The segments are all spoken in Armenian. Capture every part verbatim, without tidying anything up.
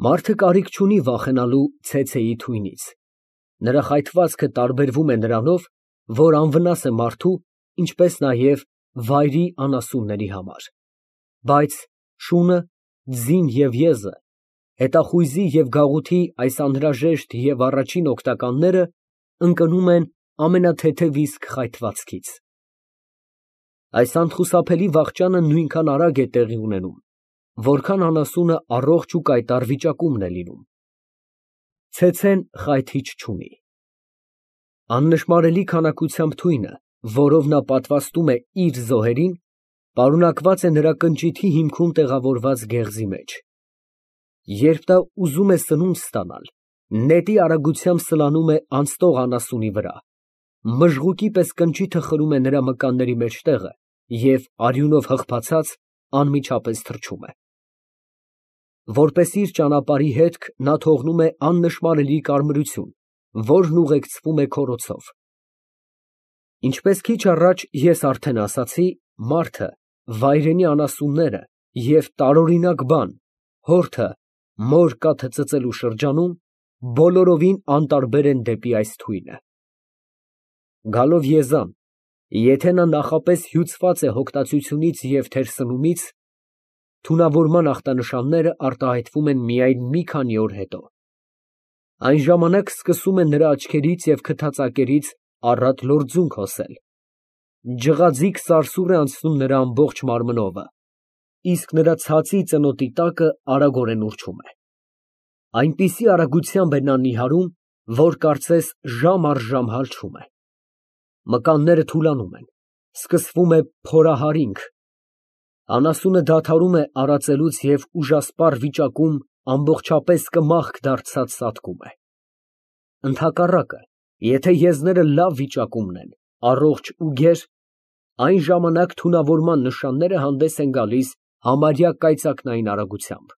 Մարդը կարիք չունի վախենալու ցեցեի թույնից, նրա խայթվածքը տարբերվում է նրանով, որ անվնաս է մարդու, ինչպես նաև վայրի անասունների համար, բայց շունը, ձին և եզը, հետախույզի և գաղութի այս անհրաժեշտ և առաջին օգնականները ընկնում են ամենաթեթև իսկ խայթվածքից։ Այս անխուսափելի վախճանը նույնքան արագ է տեղի ունենում, որքան անասունը առողջ ու կայտառ վիճակումն է լինում։ Ցեցեն խայթիչ չունի։ Աննշմարելի քանակությամբ թույնը, որով նա պատվաստում է իր զոհերին, պարունակված է նրա կնճիթի հիմքում տեղավորված գեղձի մեջ։ Երբ նա ուզում է սնունդ ստանալ, նետի արագությամբ սլանում է անցնող անասունի վրա, մժղուկի պես կնճիթը խրում է նրա մկանների մեջտեղը և արյունով հղբացած, անմիջապես թռչում է։ Որպես իր ճանապարհի հետք նա թողնում է աննշմարելի կարմրություն, որն ուղեկցվում է քորոցով։ Ինչպես քիչ առաջ ես արդեն ասացի, մարդը, վայրենի անասունները և տարօրինակ բան, հորթը, մոր կաթը ծծելու շրջանում բոլորովին անտարբեր են դեպի այս թույնը։ Գալով եզան, եթե նա նախապես հյուծված է հոգտացությունից և թերսնումից, թունավորման ախտանշանները արտահայտվում են միայն մի քանի օր հետո։ Այն ժամանակ սկսում է նրա աչքերից և քթածակերից առատ լորձունք հոսել, ջղաձիգ սարսուռ է անցնում նրա ամբողջ մարմնովը, իսկ նրա ցածի ծնոտի տակը արագորեն ուռչում է։ Այնպիսի արագությամբ է նա նիհարում, որ կարծես ժամ առ ժամ հալչում է։ Մկանները թուլանում են, սկսվում է փորահարինք, անասունը դադարում է արածելուց և ուժասպառ վիճակում ամբողջապես կմախք դարձած սատկում է։ Ընդհակառակը, եթե եզները լավ վիճակումն են, առողջ ու գեր, այն ժամանակ թունավորման նշանները հանդես են գալիս համարյա կայծակնային արագությամբ։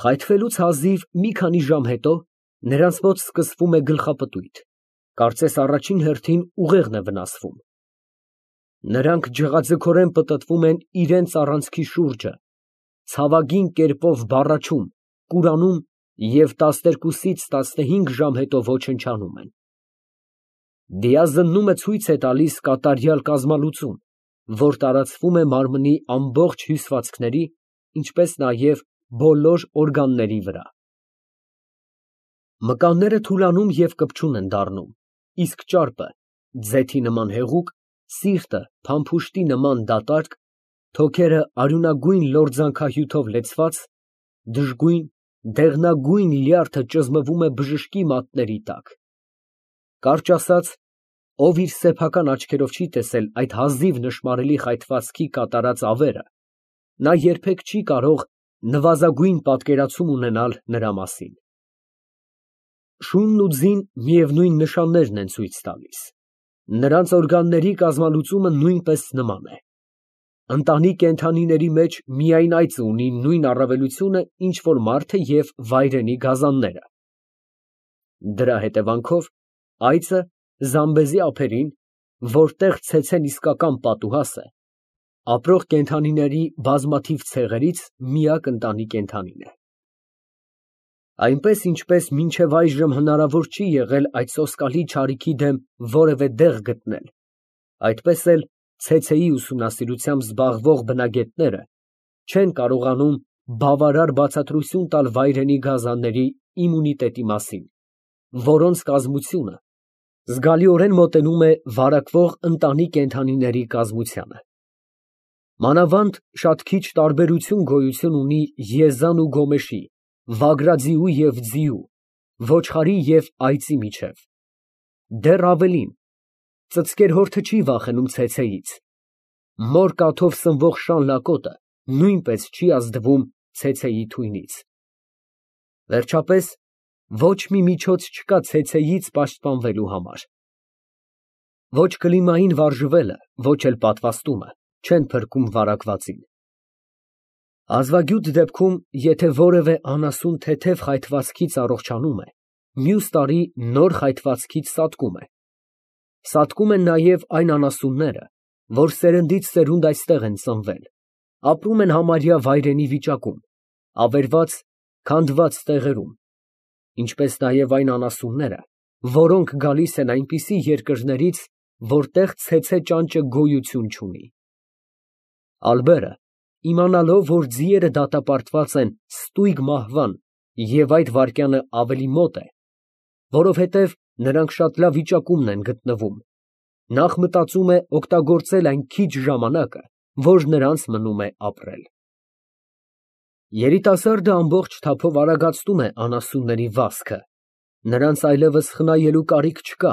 Խայթվելուց հազիվ մի քանի ժամ հետո նրանց մոտ սկսվում է գլխապտույտ, կարծես առաջին հերթին ուղեղն է վնասվում։ Նրանք ջղաձգորեն պտտվում են իրենց առանցքի շուրջը, ցավագին կերպով բառաչում, կուրանում և տասներկուսից տասնհինգ ժամ հետո ոչնչանում են։ Դիազննումը ցույց է տալիս կատարյալ կազմալուծում, որ տարածվում է մարմնի ամբողջ հյուսվածքների, ինչպես նաև բոլոր օրգանների վրա։ Մկանները թուլանում և կպչուն են դառնում, իսկ ճարպը, ձեթի նման հեղուկ, սիրտը փամփուշտի նման դատարկ, թոքերը արյունագույն լորձանքահյութով լեցված, դժգույն, դեղնագույն լյարդը ճզմվում է բժշկի մատների տակ։ Կարճ ասած, ով իր սեփական աչքերով չի տեսել այդ հազիվ նշմարելի խայթվածքի կատարած ավերը, նա երբեք չի կարող նվազագույն պատկերացում ունենալ նրա մասին։ Շունն ու ձին միևնույն նշաններն են ցույց տալիս։ Նրանց օրգանների կազմալուծումը նույնպես նման է։ Ընտանի կենդանիների մեջ միայն այծը ունի նույն առավելությունը, ինչ որ մարդը և վայրենի գազանները։ Դրա հետևանքով այծը զամբեզի ափերին, որտեղ ցեցեն իսկական պատուհաս է, ապրող կենդանիների բազմաթիվ ցեղերից միակ ընտանի կենդանին է։ Այնպես, ինչպես մինչև այժմ հնարավոր չի եղել այդ սոսկալի չարիքի դեմ որևէ դեղ գտնել, այդպես էլ ցեցեի ուսումնասիրությամբ զբաղվող բնագետները չեն կարողանում բավարար բացատրություն տալ վայրենի գազանների իմունիտետի մասին, որոնց կազմությունը զգալիորեն մոտենում է վարակվող ընտանի կենդանիների կազմությանը։ Մանավանդ շատ քիչ տարբերություն գոյություն ունի եզան ու գոմեշի, վագրաձիու և ձիու, ոչխարի և այծի միջև։ Դեռ ավելին, ծծկերհորթը չի վախենում ցեցեից, մոր կաթով սնվող շան լակոտը նույնպես չի ազդվում ցեցեի թույնից։ Վերջապես, ոչ մի միջոց չկա ցեցեից պաշտպանվելու համար։ Ոչ կլիմային վարժվելը, ոչ էլ պատվաստումը չեն փրկում վարակվածին։ Ազվագյուտ դեպքում, եթե որևէ անասուն թեթև խայթվածքից առողջանում է, մյուս տարի նոր խայթվածքից սատկում է։ Սատկում են նաև այն անասունները, որ սերնդից սերունդ այստեղ են ծնվել, ապրում են համարյա վայրենի վիճակում, ավերված Քանդված տեղերում, ինչպես նաև այն անասունները, որոնք գալիս են այնպիսի երկրներից, որտեղ ցեցե ճանճը գոյություն չունի։ Ալբերը, իմանալով, որ ձիերը դատապարտված են ստույգ մահվան և այդ վայրկյանը ավելի մոտ է, որովհետև նրանք շատ լավ վիճակումն են գտնվում, նախ մտածում է օգտագործել այն քիչ ժամանակը, որ նրանց մնում է ապրել։ Երիտասարդը ամբողջ թափով արագացնում է անասունների վազքը, նրանց այլևս խնայելու կարիք չկա,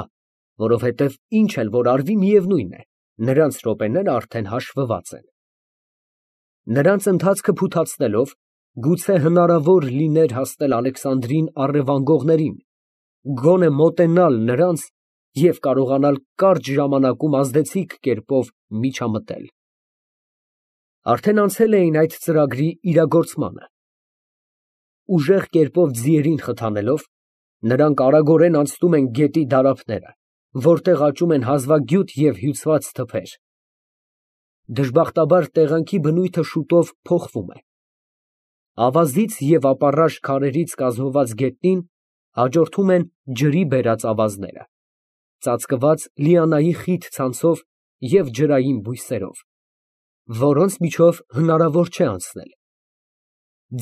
որովհետև ինչ էլ որ արվի միևնույն է, նրանց րոպեները արդեն հաշվված են։ Նրանց ընթացքը փութացնելով, գուցե հնարավոր լիներ հասնել Ալեքսանդրին առևանգողներին, գոնե մոտենալ նրանց և կարողանալ կարճ ժամանակում ազդեցիկ կերպով միջամտել։ Արդեն անցել էին այդ ծրագրի իրագործմանը։ Ուժեղ կերպով ձիերին խթանելով, նրանք արագորեն անցնում են գետի դարափները, որտեղ աճում են հազվագյուտ և հյուծված թփեր։ Դժբախտաբար տեղանքի բնույթը շուտով փոխվում է։ Ավազից և ապառաշ քարերից կազմված գետնին հաջորդում են ջրի բերած ավազները, ծածկված լիանայի խիտ ցանցով և ջրային բույսերով, որոնց միջով հնարավոր չէ անցնել։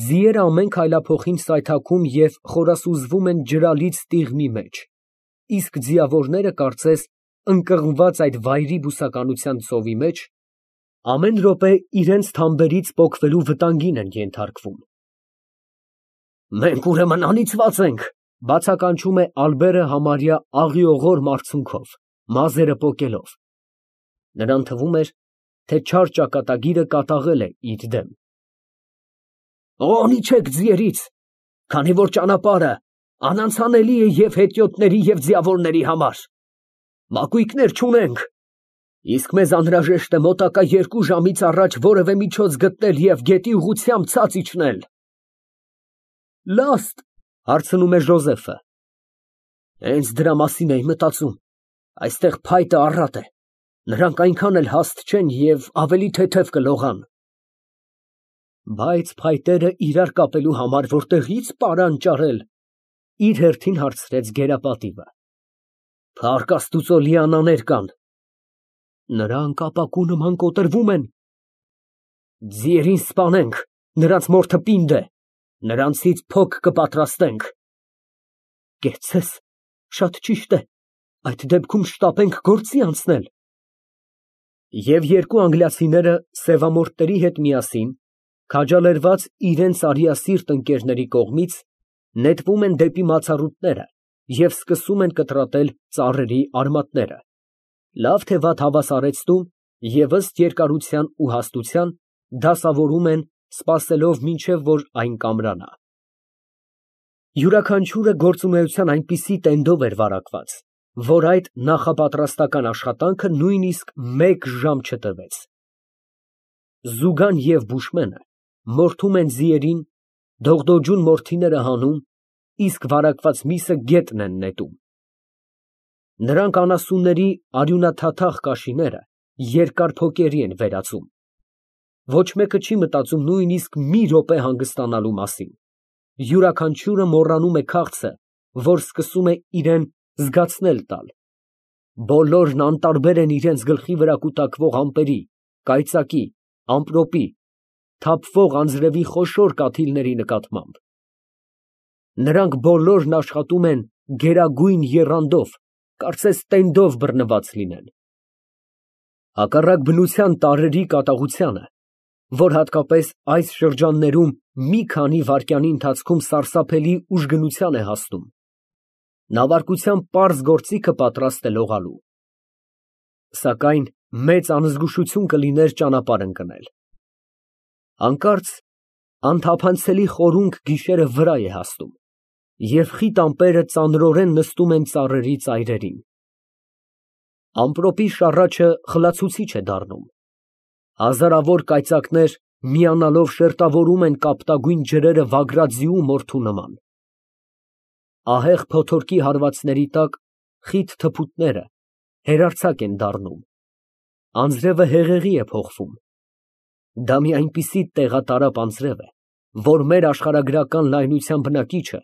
Ձիերը ամեն քայլափոխին սայթաքում և խորասուզվում են ջրալից տիղմի մեջ, իսկ ձիավորները, կարծես ընկղմված այդ վայրի բուսականության ծովի մեջ, ամեն րոպե իրենց թամբերից պոկվելու վտանգին են ենթարկվում։ «Մենք, ուրեմն, անիծված ենք», ֊ բացականչում է Ալբերը համարյա աղիողոր մարցունքով, մազերը պոկելով։ Նրան թվում էր, թե չար ճակատագիրը կատաղել է իր դեմ։ «Օ՛նիչեք ձիերից, քանի որ ճանապարհը անանցանելի է և հետիոտների, և ձիավորների համար։ Մակույկներ չունենք, իսկ մեզ անհրաժեշտ է մոտակա երկու ժամից առաջ որևէ միջոց գտնել և գետի ուղղությամբ ցած իջնել»։ «Լա՞ստ», ֊ հարցնում է Ժոզեֆը։ «Հենց դրա մասին էի մտածում, այստեղ փայտը առատ է, նրանք այնքան էլ հաստ չեն և ավելի թեթև կլողան»։ «Բայց փայտերը իրար կապելու համար որտեղի՞ց պարան ճարել», ֊ իր հերթին հարցրեց գերապատիվը։ «Փառք Աստուծո, լիանաներ կան»։ «Նրանք ապակու նման կոտրվում են»։ «Ձիերին սպանենք, նրանց մորթը պինդ է, նրանցից փոք կպատրաստենք»։ «Կեցցես, շատ ճիշտ է, այդ դեպքում շտապենք գործի անցնել»։ Եվ երկու անգլիացիները սևամորթների հետ միասին, քաջալերված իրենց արիասիրտ ընկերների կողմից, նետվում են դեպի մացառուտները և սկսում են կտրատել ծառերի արմատները, լավ թե վատ հավասարեցնում և ըստ երկարության ու հաստության դասավորում են, սպասելով մինչև որ այն կամրանա։ Յուրաքանչյուրը գործունեության այնպիսի տենդով էր վարակված, որ այդ նախապատրաստական աշխատանքը նույնիսկ մեկ ժամ չտևեց։ Զուգան և բուշմենը մորթում են ձիերին, դողդոջուն մորթիները հանում, իսկ վարակված միսը գետն են նետում։ Նրանք անասունների արյունաթաթախ կաշիները երկար փոկերի են վերածում։ Ոչ մեկը չի մտածում նույնիսկ մի րոպե հանգստանալու մասին։ Յուրաքանչյուրը մոռանում է քաղցը, որ սկսում է իրան զգացնել տալ։ Բոլորն անտարբեր են իրենց գլխի վրա կուտակվող ամպերի, կայծակի, ամպրոպի, թափվող անձրևի խոշոր կաթիլների նկատմամբ։ Նրանք բոլորն աշխատում են գերագույն եռանդով, կարծես տենդով բռնված լինեն։ Հակառակ բնության տարրերի կատաղությանը, որ հատկապես այս շրջաններում մի քանի վայրկյանի ընթացքում սարսափելի ուժգնության է հասնում, նավարկության պարզ գործիքը պատրաստ է լողալու։ Սակայն մեծ անզգուշություն կլիներ ճանապարհ ընկնել։ Հանկարծ անթափանցելի խորունգ գիշերը վրա է հասնում, և խիտ ամպերը ծանրորեն նստում են ծառերի ծայրերին։ Ամպրոպի շառաչը խլացուցիչ է դառնում։ Հազարավոր կայծակներ միանալով շերտավորում են կապտագույն ջրերը վագրաձիու մորթու նման։ Ահեղ փոթորկի հարվածների տակ խիտ թփուտները հերարձակ են դառնում, անձրևը հեղեղի է փոխվում։ Դա մի այնպիսի տեղատարապ անձրև է, որ մեր աշխարհագրական լայնության բնակիչը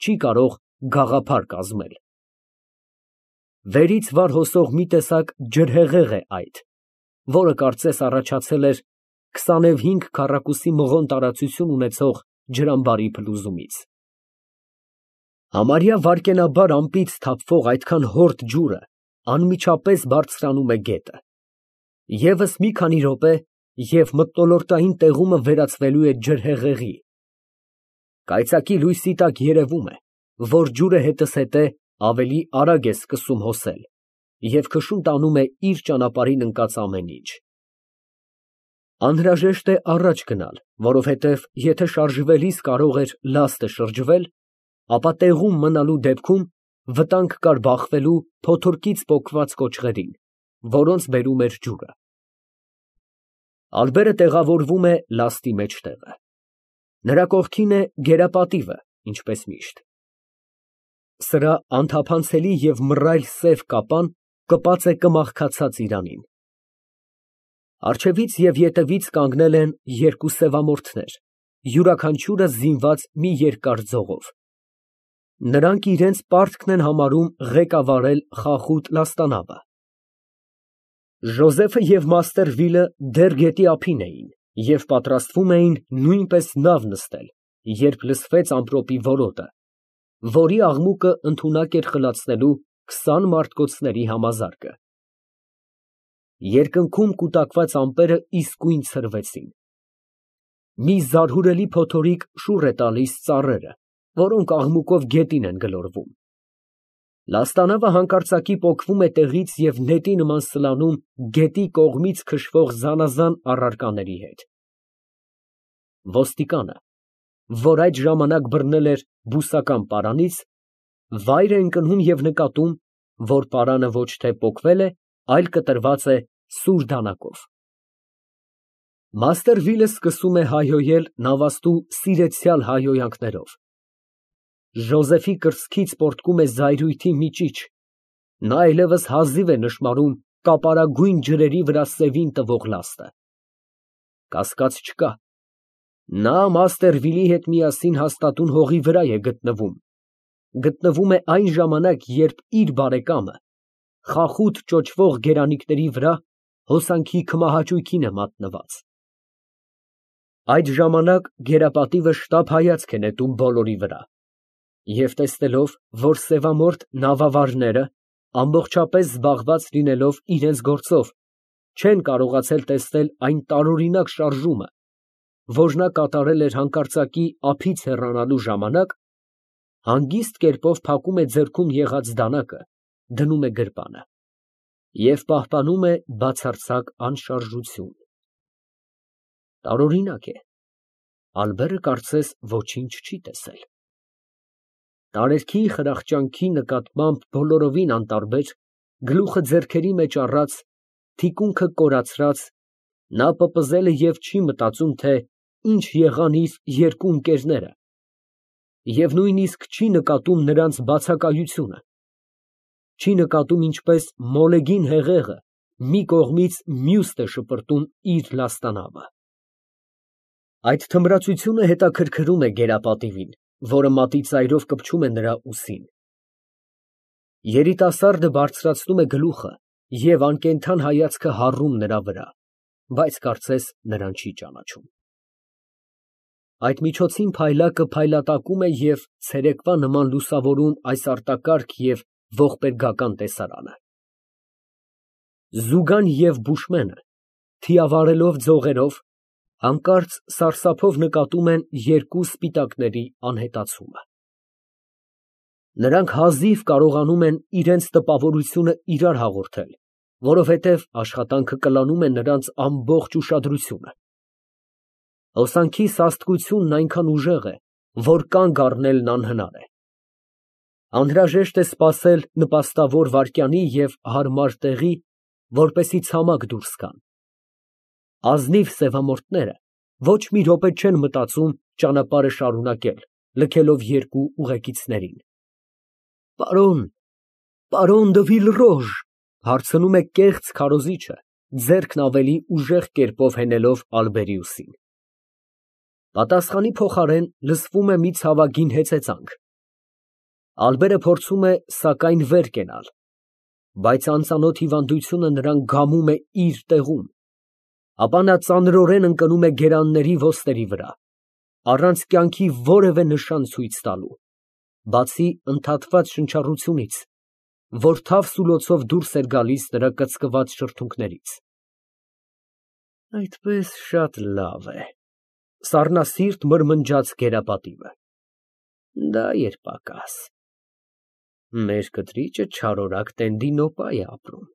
չի կարող գաղափար կազմել։ Վերից վար հոսող մի տեսակ ջրհեղեղ է այդ, որը կարծես առաջացել էր քսանուհինգ քառակուսի մղոն տարածություն ունեցող ջրամբարի փլուզումից։ Համարյա վայրկենաբար ամպից թափվող այդքան հորդ ջուրը անմիջապես բարձրանում է գետը։ Եվս մի քանի րոպե, և մթնոլորտային տեղումը վերածվելու է ջրհեղեղի։ Կայծակի լույսի տակ երևում է, որ ջուրը հետզհետե ավելի արագ է սկսում հոսել և քշում տանում է իր ճանապարհին ընկած ամեն ինչ։ Անհրաժեշտ է առաջ գնալ, որովհետև եթե շարժվելիս կարող էր լաստը շրջվել, ապա տեղում մնալու դեպքում վտանգ կար բախվելու փոթորկից պոկված կոճղերին, որոնց բերում էր ջուրը։ Ալբերը տեղավորվում է լաստի մեջտեղը։ Նրա կողքին է գերապատիվը, ինչպես միշտ։ Սրա անթափանցելի և մռայլ սև կապան կպած է կմախքացած իրանին։ Առջևից և ետևից կանգնել են երկու սևամորթներ, յուրաքանչյուրը զինված մի երկար ձողով։ Նրանք իրենց պարտքն են համարում ղեկավարել խախուտ լաստանավը։ Ժոզեֆը և մաստեր Վիլը դեռ գետի ափին էին և պատրաստվում էին նույնպես նավ նստել, երբ լսվեց ամպրոպի որոտը, որի աղմուկը ընդունակ էր խլացնելու քսան մարդկոցների համազարկը։ Երկնքում կուտակված ամպերը իսկույն ցրվեցին։ Մի զարհուրելի փոթորիկ շուռ է տալիս ծառերը, որոնք աղմուկով գետին են գլորվում։ Լաստանավը հանկարծակի պոկվում է տեղից և նետի նման սլանում գետի կողմից քշվող զանազան առարկաների հետ։ Ոստիկանը, որ այդ ժամանակ բռնել էր բուսական պարանից, վայր է ընկնում և նկատում, որ պարանը ոչ թե պոկվել է, այլ կտրված է սուր դանակով։ Մաստեր Վիլը սկսում է հայհոյել նավաստու սիրեցյալ հայհոյանքներով։ Ժոզեֆի կրծքից պոռթկում է զայրույթի մի ճիչ, նա այլևս հազիվ է նշմարում կապարագույն ջրերի վրա սևին տվող լաստը։ Կասկած չկա, նա մաստեր Վիլի հետ միասին հաստատուն հողի վրա է գտնվում, գտնվում է այն ժամանակ, երբ իր բարեկամը խախուտ ճոճվող գերանիկների վրա հոսանքի քմահաճույքին է մատնված։ Այդ ժամանակ գերապատիվը շտապ հայացք է նետում բոլորի վրա և տեսնելով, որ սևամորթ նավավարները, ամբողջապես զբաղված լինելով իրենց գործով, չեն կարողացել տեսնել այն տարօրինակ շարժումը, որ նա կատարել էր հանկարծակի ափից հեռանալու ժամանակ, հանգիստ կերպով փակում է ձեռքում եղած դանակը, դնում է գրպանը և պահպանում է բացարձակ անշարժություն։ Տարօրինակ է, ալբերը կարծես ոչինչ չի տեսել։ Տարերքի խրախճանքի նկատմամբ բոլորովին անտարբեր, գլուխը ձեռքերի մեջ առած, թիկունքը կորացրած, նա պպզել է և չի մտածում, թե ինչ եղան իր երկու ընկերները, և նույնիսկ չի նկատում նրանց բացակայությունը, չի նկատում ինչպես մոլեգին հեղեղը մի կողմից մյուսն է շպրտում իր լաստանավը։ Այդ թմրացությունը հետաքրքրում է գերապատիվին, որը մատի ծայրով կպչում է նրա ուսին։ Երիտասարդը բարձրացնում է գլուխը և անկենդան հայացքը հառում նրա վրա, բայց կարծես նրան չի ճանաչում։ Այդ միջոցին փայլակը փայլատակում է և ցերեկվա նման լուսավորում այս արտակարգ և ողբերգական տեսարանը։ Զուգան և բուշմենը, թիավարելով ձողերով, հանկարծ սարսափով նկատում են երկու սպիտակների անհետացումը։ Նրանք հազիվ կարողանում են իրենց տպավորությունը իրար հաղորդել, որովհետև աշխատանքը կլանում է նրանց ամբողջ ուշադրությունը։ Հոսանքի սաստկությունն այնքան ուժեղ է, որ կանգ առնելն անհնար է։ Անհրաժեշտ է սպասել նպաստավոր վայրկյանի և հարմար տեղի, որպեսզի ցամաք դուրս գան։ Ազնիվ սևամորթները ոչ մի րոպե չեն մտածում ճանապարհը շարունակել, լքելով երկու ուղեկիցներին։ ֊ Պարոն, պարոն դը Վիլռոժ, ֊ հարցնում է կեղծ քարոզիչը, ձեռքն ավելի ուժեղ կերպով հենելով ալբերի ուսին։ Պատասխանի փոխարեն լսվում է մի ցավագին հեծեծանք։ Ալբերը փորձում է սակայն վեր կենալ, բայց անծանոթ հիվանդությունը նրան գամում է իր տեղում, ապա նա ծանրորեն ընկնում է գերանների ոսկերի վրա, առանց կյանքի որևէ նշան ցույց տալու, բացի ընդհատված շնչառությունից, որ թավ սուլոցով դուրս էր գալիս նրա կծկված շրթունքներից։ Այդպես շատ լավ է, սառնասիրտ մրմնջաց գերապատիվը, դա երբակաս։ Մեր կտրիճը չարորակ Տենդինոպա է ապրում։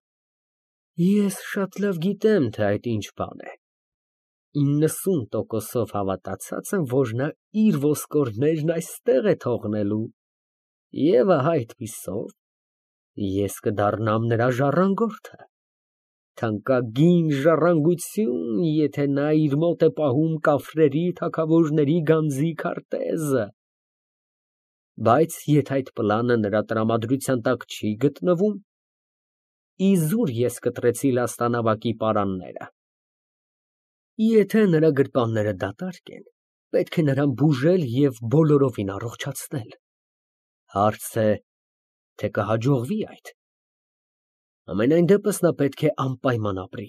Ես շատ լավ գիտեմ, թե այդ ինչ բան է։ իննսուն տոկոսով հավատացած եմ, որ նա իր ոսկորներն այստեղ է թողնելու, և ահա այդպիսով ես կդառնամ նրա ժառանգորդը, թանկագին ժառանգություն, եթե նա իր մոտ է պահում կաֆրերի թագավորների գանձի քարտեզը, բայց եթե այդ պլանը նրա տրամադրության տակ չի գտնվում, իզուր ես կտրեցի լաստանավակի պարանները։ Եթե նրա գրպանները դատարկ են, պետք է նրան բուժել և բոլորովին առողջացնել, հարց է, թե կհաջողվի այդ։ Համենայն դեպս նա պետք է անպայման ապրի։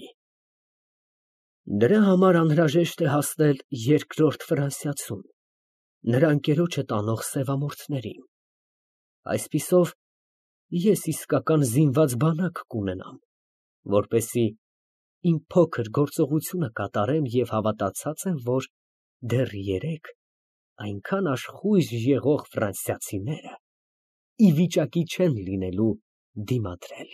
Դրա համար անհրաժեշտ է հասնել երկրորդ Ֆրանսիացուն, նրա ընկերոջը տանող սևամորթներին, այսպիսով ես իսկական զինված բանակ կունենամ, որպեսզի իմ փոքր գործողությունը կատարեմ և հավատացած եմ, որ դեռ երեկ այնքան աշխույժ եղող ֆրանսիացիները ի վիճակի չեն լինելու դիմադրել։